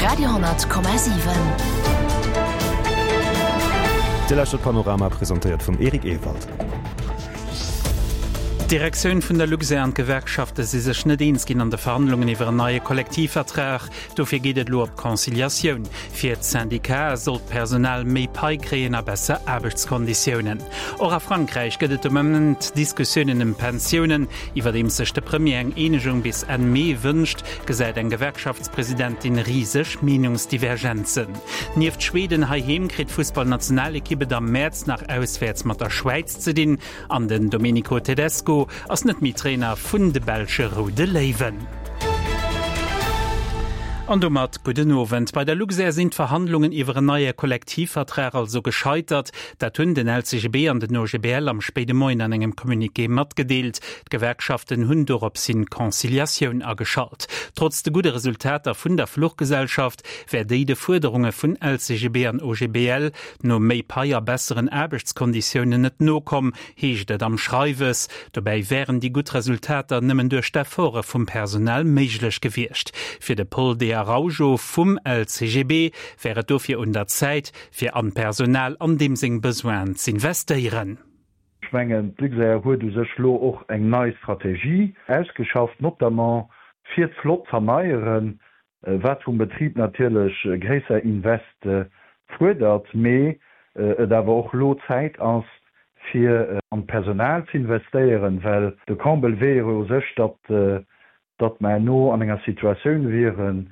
Radio,7. Dir lauschtert Panorama, presentéiert vum Eric Ewald. D'Direktioun vun der Luxair an d'Gewerkschafte si sech net eens ginn an de Verhandlungen iwwer en neie Kollektivvertrag. Dofir geet et elo op d'Conciliatioun. Fir d'Syndicate soll d'Personal méi Pai kréien a besser Aarbechtskonditiounen. Och a Frankräich gëtt et de Moment Diskussiounen ëm d'Pensiounen. Iwwerdeems sech de Premier eng Eenegung bis Enn Mee wënscht, gesäit eng Gewerkschaftspresidentin riseg Meenungsdivergenzen. Nieft Schweden heiheem kritt d'Fussballnationalekipp et am Mäerz nach auswäerts mat der Schwäiz ze dinn an den Domenico Tedesco ass net méi Trainer vun de belsche Roude Léiwen. An domat gudden Owend. Bei der Luxair sinn d'Verhandlungen iwwer en neie Kollektivvertrag also gescheitert. Dat hunn den LCGB an den OGBL am spéide Moien an engem Communiqué matgedeelt. D'Gewerkschaften hunn dorops hin d'Conciliatioun ageschalt. Trotz de gudde Resultater vun der Fluchgesellschaft wär déi de Fuerderunge vun LCGB an OGBL no méi Pai a besseren Aarbechtskonditiounen net nokomm, heescht et am Schreiwes. Dobäi wären déi gutt Resultater nëmmen duerch d'Efforte vum Personal méiglech gewiescht. Fir de Paul De Araujo vum LCGB wär et dofir un der Zäit, fir an d'Personal an deem seng Besoinen z'investéieren. Ech mengen, d'Luxair huet u sech elo och eng nei Strategie ausgeschafft, notamment fir d'Flott z'erneieren, wat vum Betrib natierlech gréisser Investe fuerdert, mee et awer och elo Zäit ass, fir an d'Personal z'investéieren, well de Comble wier jo u sech, datt datt mer herno an enger Situatioun wieren,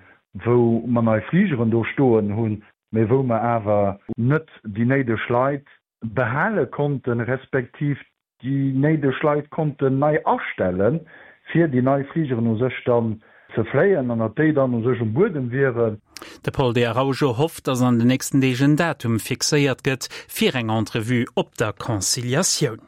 wou mer nei Fligeren do stoen hunn, mee wou mer awer net déi néideg Leit behale konnten, respektiv déi néideg Leit konnten nei astellen, fir déi nei Fligeren u sech dann ze fléien an datt déi dann u sech um Buedem wieren. De Paul De Araujo hofft, datt an den nächsten Deeg en Datum fixéiert gëtt fir eng Entrevue op der Conciliatioun.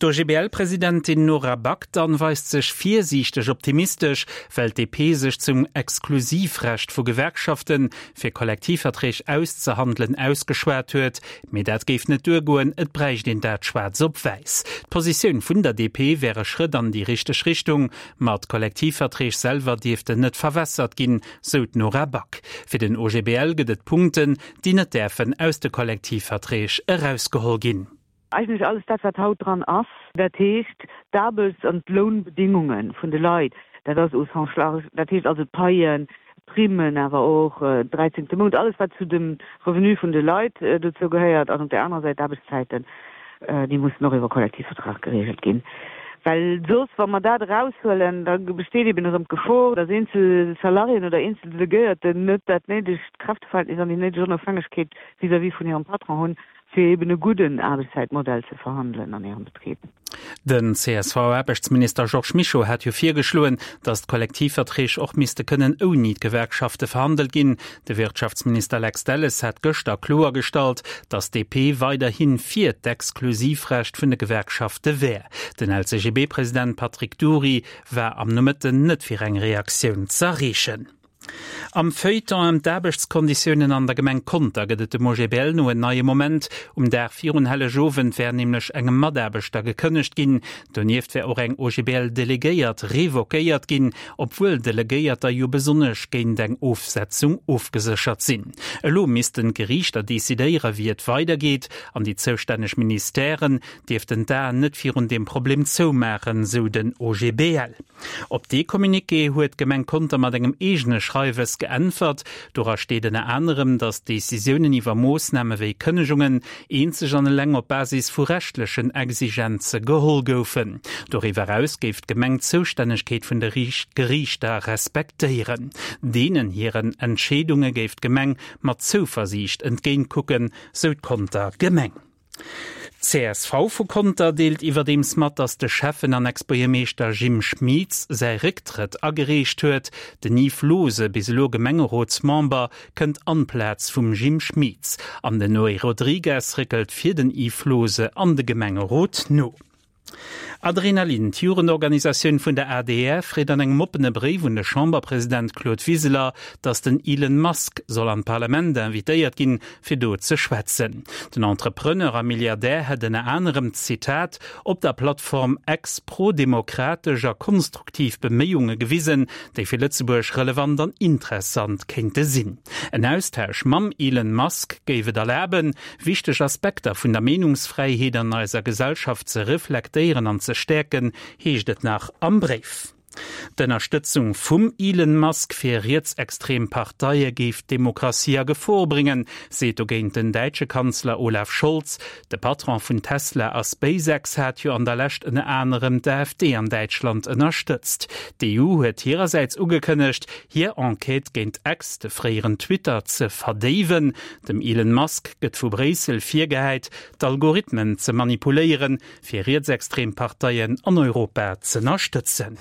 D'OGBL-Presidentin Nora Back dann weist sech virsiichteg optimistesch, well d'DP sech zum Exklusivrecht vu Gewerkschaften, fir Kollektivverträg auszehandelen, ausgeschwat huet. Mee dat géif net duergoen, et bräicht een dat schwaarz op wäiss. D'Positioun vun der DP wär e Schrëtt an déi richteg Richtung, ma d'Kollektivverträg selwer dierften net verwässert ginn, sou d'Nora Back. Fir den OGBL gëtt et Punkten, déi net däerfen aus de Kollektivverträg erausgeholl ginn. Eigentlech alles dat, wat haut dran ass, dat heescht d'Aarbechts an d'Lounbedingunge vun de Leit, dat ass au sens large, dat heescht also d'Paien, d'Primmen, awer och dräizéngte Mount, alles wat zu dem Revenu vun de Leit dozou gehéiert, an op där anerer Säit d'Aarbechtszäiten, déi mussen och iwwer Kollektivvertrag geregelt ginn. Well soss, wa mer dat eraushuelen, da besteet eben erëm d'Gefor, dass eenzel Salariéen oder eenzel Delegéierten net dat néidegt Kräfteverhältnis an déi néideg Onofhängegkeet vis-à-vis vun hirem Patron hunn, fir eben e gudden Aarbechtszäitmodell ze verhandelen an hirem Betrib. Den CSV-Aarbechtsminister Georges Mischo hat jo virgeschloen, datt d'Kollektivverträg och misste kënnen ouni d'Gewerkschafte verhandelt ginn. De Wirtschaftsminister Lex Delles hat gëschter kloergestallt, datt d'DP weiderhi fir d'Exklusivrecht vun de Gewerkschafte wär. Den LCGB-President Patrick Dury war am Nomëtten net fir eng Reaktioun z'erreechen. Am Feuilleton ëm d'Aarbechtskonditiounen an der Gemeng Conter gëtt et dem OGBL no en neie Moment. Um Dag virun Hellegowend wär nämlech engem Mataarbechter gekënnegt ginn. Donieft wär och eng OGBL-Delegéiert revoquéiert ginn, obwuel Delegéierter jo besonnesch géint eng Ofsetzung ofgeséchert sinn. Elo missten d'Geriichter decidéiere wéi et weidergeet an déi zoustänneg Ministèren dierften d'Aen net virun deem Problem zoumaachen, sou den OGBL. Op dee Communiqué huet d'Gemeng Conter mat engem eegene Schreiwes geäntwert. Dora steet ënner anerem, datt Decisiounen iwwer Moossname wéi Kënnegungen eenzeg an eleng op Basis vu rechtlechen Exigenze geholl goufen. Doriwwer eraus géif d'Gemeng d'Zoustännegkeet vun de Geriichter respektéieren. Deenen hiren Entscheedunge géif d'Gemeng mat Zouversiicht entgéintkucken, sou d'Conter Gemeng. D'CSV vu Conter deelt iwwerdeems mat, datt de Schäffen an Ex-Buergermeeschter Jim Schmitz säi Récktrëtt agereecht huet. Den Yves Lose, bis elo Gemengerotsmember, kënnt an d'Plaz vum Jim Schmitz. An den Noé Rodrigues réckelt fir den Yves Lose an de Gemengerot no. Adrenalin, D'Jugendorganisatioun vun der adr freet an engem oppene Bréif un de Chamberpresident Claude Wiseler, datt den Elon Musk soll an d'Parlament invitéiert ginn, fir do ze schwätzen. Den Entrepreneur a Milliardär hätt ënner anerem, Zitat, op der Plattform X prodemokratesch a konstruktiv Beméiunge gewisen, déi fir Lëtzebuerg relevant an interessant kéinte sinn. En Austausch mam Elon Musk géif et erlaben, Wichteg Aspekter vun der Meenungsfräiheet an eiser Gesellschaft ze reflektéieren an ze stäerken, heescht et nach am Bréif. D'Ënnerstëtzung vum Elon Musk fir rietsextrem Parteie géif d'Demokratie a Gefor bréngen, seet dogéint den däitsche Kanzler Olaf Scholz. De Patron vun Tesla a SpaceX hat jo an der Lescht ënner anerem d'AfD an Däitschland ënnerstëtzt. D'EU huet hirersäits ugekënnegt, hir Enquête géint X, de fréieren Twitter, ze verdéiwen. Dem Elon Musk gëtt vu Bréissel virgehäit, d'Algorithmen ze manipuléieren, fir rietsextrem Parteien an Europa z'ënnerstëtzen.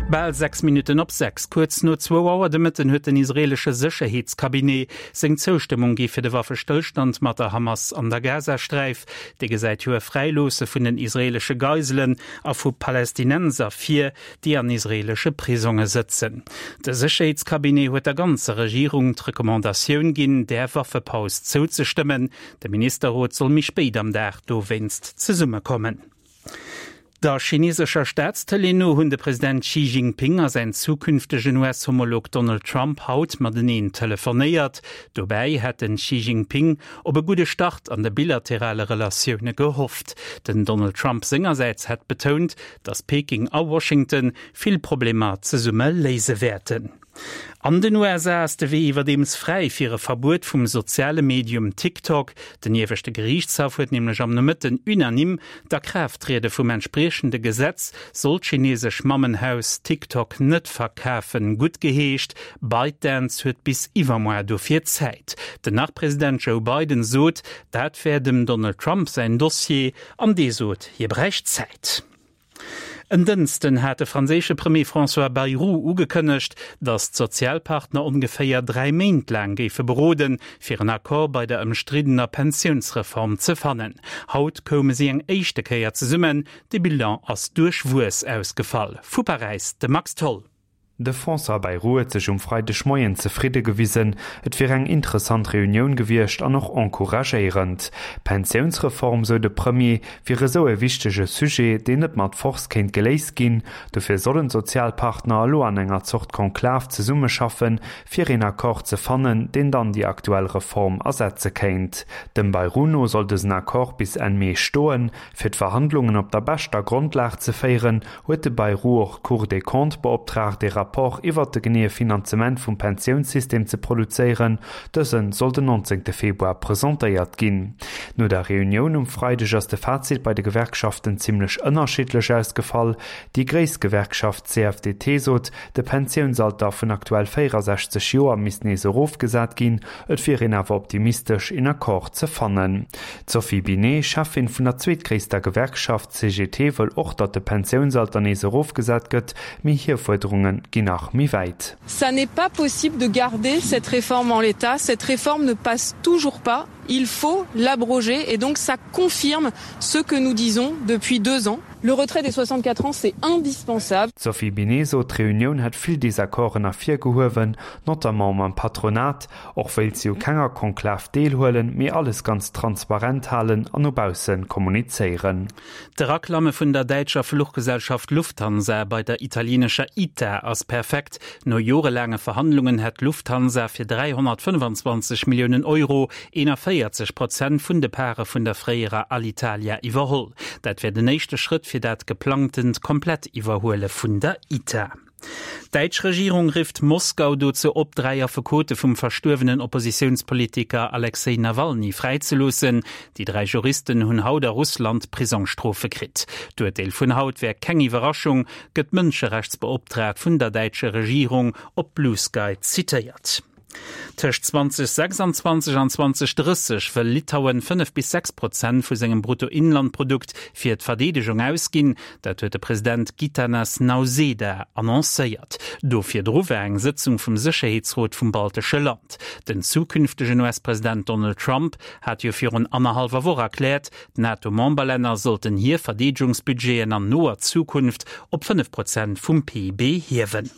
Bal 6 Minutten op 6, kuerz no zwou Auer de Mëtten huet den israeelesche Sécherheetscabinet seng Zoustëmmung gi fir de Waffestëllstand mat der Hamas an der Gazasträif. Dee gesäit jo e Fräiloosse vun den israeelesche Geiselen a vu Palästinenser vir, déi an israeelesche Prisonge sëtzen. De Sécherheetscabinet huet der ganzer Regierung d'Recommandatioun ginn, där Waffepaus zouzestëmmen. De Ministerrot soll méi spéit am Dag dowéinst zesummekommen. Der chinesescher Staatstëlee no hunn de President Xi Jinping a säin zukünftegen US-Homolog Donald Trump haut mateneen telefonéiert. Dobäi hätt den Xi Jinping op e gudde Start an de bilaterale Relatioune gehofft. Den Donald Trump sengersäits hätt betount, datt Peking a Washington vill Problemer zesumme léise wäerten. An den USA ass de Wee iwwerdeems fräi fir e Verbuet vum soziale Medium TikTok. Den ieweschte Geriichtshaff huet nämlech am Nomëtten unanime d'Akraafttriede vum entspriechende Gesetz, sollt d'chinesesch Mammenhaus TikTok net verkafen, guttgeheescht. ByteDance huet bis iwwermoar dofir Zäit. Den Nach-President Joe Biden sot, dat wär dem Donald Trump säin Dossier. An dee sot, hie bräicht Zäit. En Dënsten hat de franséische Premier François Bayrou ugekënnegt, datt d'Sozialpartner ongeféier 3 Méint laang géife beroden, fir en Accord bei der ëmstriddener Pensiounsreform ze fannen. Haut koume si eng éischte Kéier zesummen. De Bilan ass duerchwuess ausgefall. Vu Paräis de Max Tholl. De François Bayrou huet sech um Freidegmoien zefridde gewisen, et wier eng interessant Reunioun gewiescht an och encouragéierend. D'Pensiounsreform, sou de Premier, wier esou e wichtege Sujet, deen net mat Force kéint geléist ginn. Dofir sollen d'Sozialpartner elo an enger Zort Konklav zesummeschaffen, fir een Accord ze fannen, deen dann déi aktuell Reform ersetze kéint. Dem Bayrou no soll dësen Accord bis Enn Mee stoen. Fir d'Verhandlungen op der beschter Grondlag ze féieren, huet de Bayrou och d'Cour des Comptes beoptraagt, ee Rapport iwwert de geneeë Finanzement vum Pensiounssystem ze produzéieren. Dëse soll den 19 Februar presentéiert ginn. No der Reunioun um Freideg ass de Fazit bei de Gewerkschaften zimmlech ënnerschiddlech ausgefall. Déi gréisst Gewerkschaft CFDT sot, de Pensiounsalter vun aktuell 64 Joer misst nees erofgesat ginn. Et wier een awer optimistesch, een Accord ze fannen. D'Sophie Binet, Cheffin vun der zweetgréisster Gewerkschaft CGT, wëll och, datt de Pensiounsalter nees erofgesat gëtt, mee hir Fuerderunge ginn nach méi wäit. Ça n'est pas possible de garder cette réforme en l'état, cette réforme ne passe toujours pas, il faut l'abroger et donc ça confirme ce que nous disons depuis deux ans. Le retrait des 64 ans c'est indispensable. D'Sophie Binet sot, d'Reunioun hätt vill Desaccorden ervirgehuewen, notamment mam Patronat. Och wéilt si u kenger Konklav deelhuelen, mee alles ganz transparent halen an no bausse kommunizéieren. D'Eraklamme vun der däitscher Fluchgesellschaft Lufthansa bei der italienescher ITA ass perfekt. No jorelaange Verhandlungen hätt d'Lufthansa fir 325 Milliounen Euro 41 Prozent vun de Pare vun der fréierer Alitalia iwwerholl. Dat wär den éischte Schrëtt fir dat geplangtent Komplett-Iwwerhuele vun der ITA. D'däitsch Regierung rifft Moskau dozou op, 3 Affekote vum verstuerwenen Oppositiounspolitiker Alexej Nawalny fräizeloossen. Déi 3 Juristen hunn haut a Russland Prisongsstrofe kritt. D'Urteel vun haut wär keng Iwwerraschung, gëtt d'Mënscherechtsbeoptraagt vun der däitscher Regierung op Bluesky zitéiert. Tëscht 2026 an 2030 wëll Litauen 5 bis 6 Prozent vu sengem Bruttoinlandprodukt fir d'Verdeedegung ausginn. Dat huet de President Gitanas Nauseda annoncéiert. Do virdru war eng Sëtzung vum Sécherheetsrot vum baltesche Land. Den zukünftegen US-President Donald Trump hat jo virun annerhallwer Woch erkläert, d'NATO-Memberlänner sollten hir Verdeedegungsbudgeten an noer Zukunft op 5 Prozent vum PIB hiewen.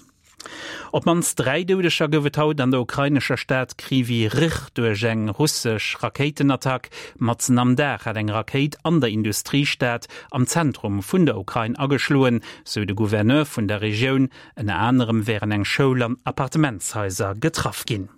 Op d'mannst 3 Doudeger gouf et haut an der ukrainescher Stad Kryvyi Rih duerch eng russesch Rakéitenattack. Matzen am Dag hat eng Rakéit an der Industriestad am Zentrum vun der Ukrain ageschloen, sou de Gouverneur vun der Regioun. Ënner anerem wären eng Schoul an Appartementshaiser getraff ginn.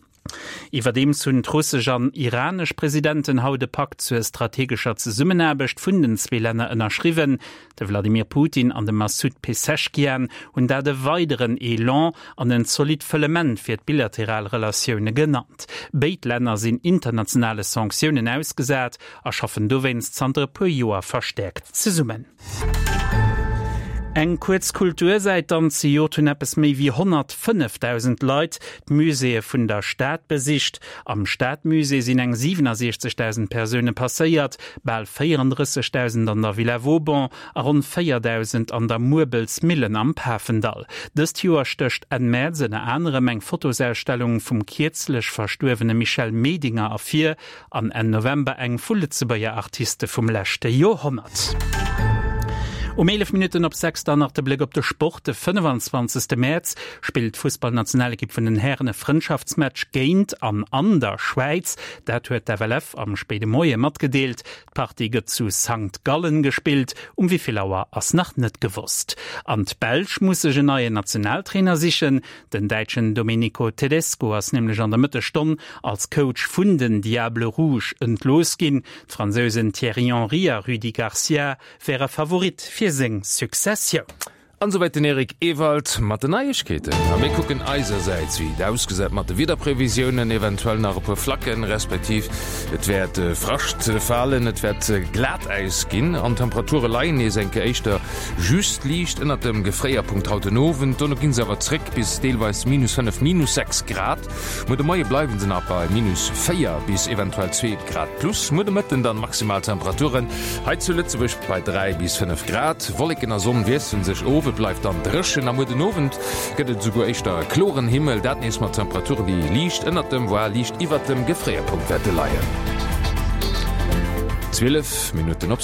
Iwwerdeems hunn d'russesch an iranesch Presidenten haut e Pakt zur strategescher Zesummenaarbecht vun den zwee Länner ënnerschriwwen. De Wladimir Putin an de Massoud Pezeshkian hunn dat e weideren Elan an en zolidd Fëllement fir d'bilateral Relatioune genannt. Béid Länner sinn internationale Sanktiounen ausgesat a schaffen dowéinst zanter e puer Joer verstäerkt zesummen. Eng kuerz Kultursäit dann, Zejoert hunn eppes méi wéi 105.000 Leit d'Muséeë vun der Stad besicht. Am Stadmusée sinn eng 67.000 Persoune passéiert, bal 34.000 an der Villa Vauban a ronn 4.000 an der Muerbelsmillen am Pafendall. Dëst Joer stécht Enn Mäerz ënner anerem eng Fotosausstellung vum kierzlech verstuerwene Michel Medinger ervir, An Enn November eng vu Lëtzebuerger Artiste vum leschte Joerhonnert. Um 11 Minutten op 6 dann nach de Bléck op de Sport. De 25. Mäerz spillt d'Fussballnationalekipp vun den Hären e Frëndschaftsmatch géint an an der Schwäiz. Dat huet d'FLF am spéide Moie matgedeelt. D'Partie gëtt zu Sankt Gallen gespillt. Um wéi vill Auer ass nach net gewosst. An d'Belsch muss sech en neien Nationaltrainer sichen. Den Däitschen Domenico Tedesco ass nämlech an der Mëttesstonn als Coach vun den Diables Rouges entlooss ginn. D'Fransousen Thierry Henry a Rudi Garcia wäre Favorit fir seng Successioun. An esouwäit den Eric Ewald mat den Neiegkeeten. A mir kucken eisersäits, wéi et ausgesäit mat de Wiederprevisiounen, eventuell nach e puer Flacken, respektiv et wäert Frascht falen, et wäert Glatäis ginn an d'Temperature leien nees eng Kéier éischter Just liicht ënnert dem Gefréierpunkt haut den Owend, dono ginn se awer zréck bis deelweis minus 5, minus 6 Grad. Muer de Moie bleiwen se nach bei minus 4 bis eventuell 2 Grad plus. Muer de Mëtten dann maximal Temperaturen hei zu Lëtzebuerg bei 3 bis 5 Grad. Wolleken a Sonn wiesselen sech of, et bleift dann dréchen a muer den Owend gëtt et esouguer éischter e kloren Himmel, dat nees mat Temperaturen, déi liicht ënnert dem, voire liicht iwwert dem Gefréierpunkt wäerte leien. 12 Minutten op.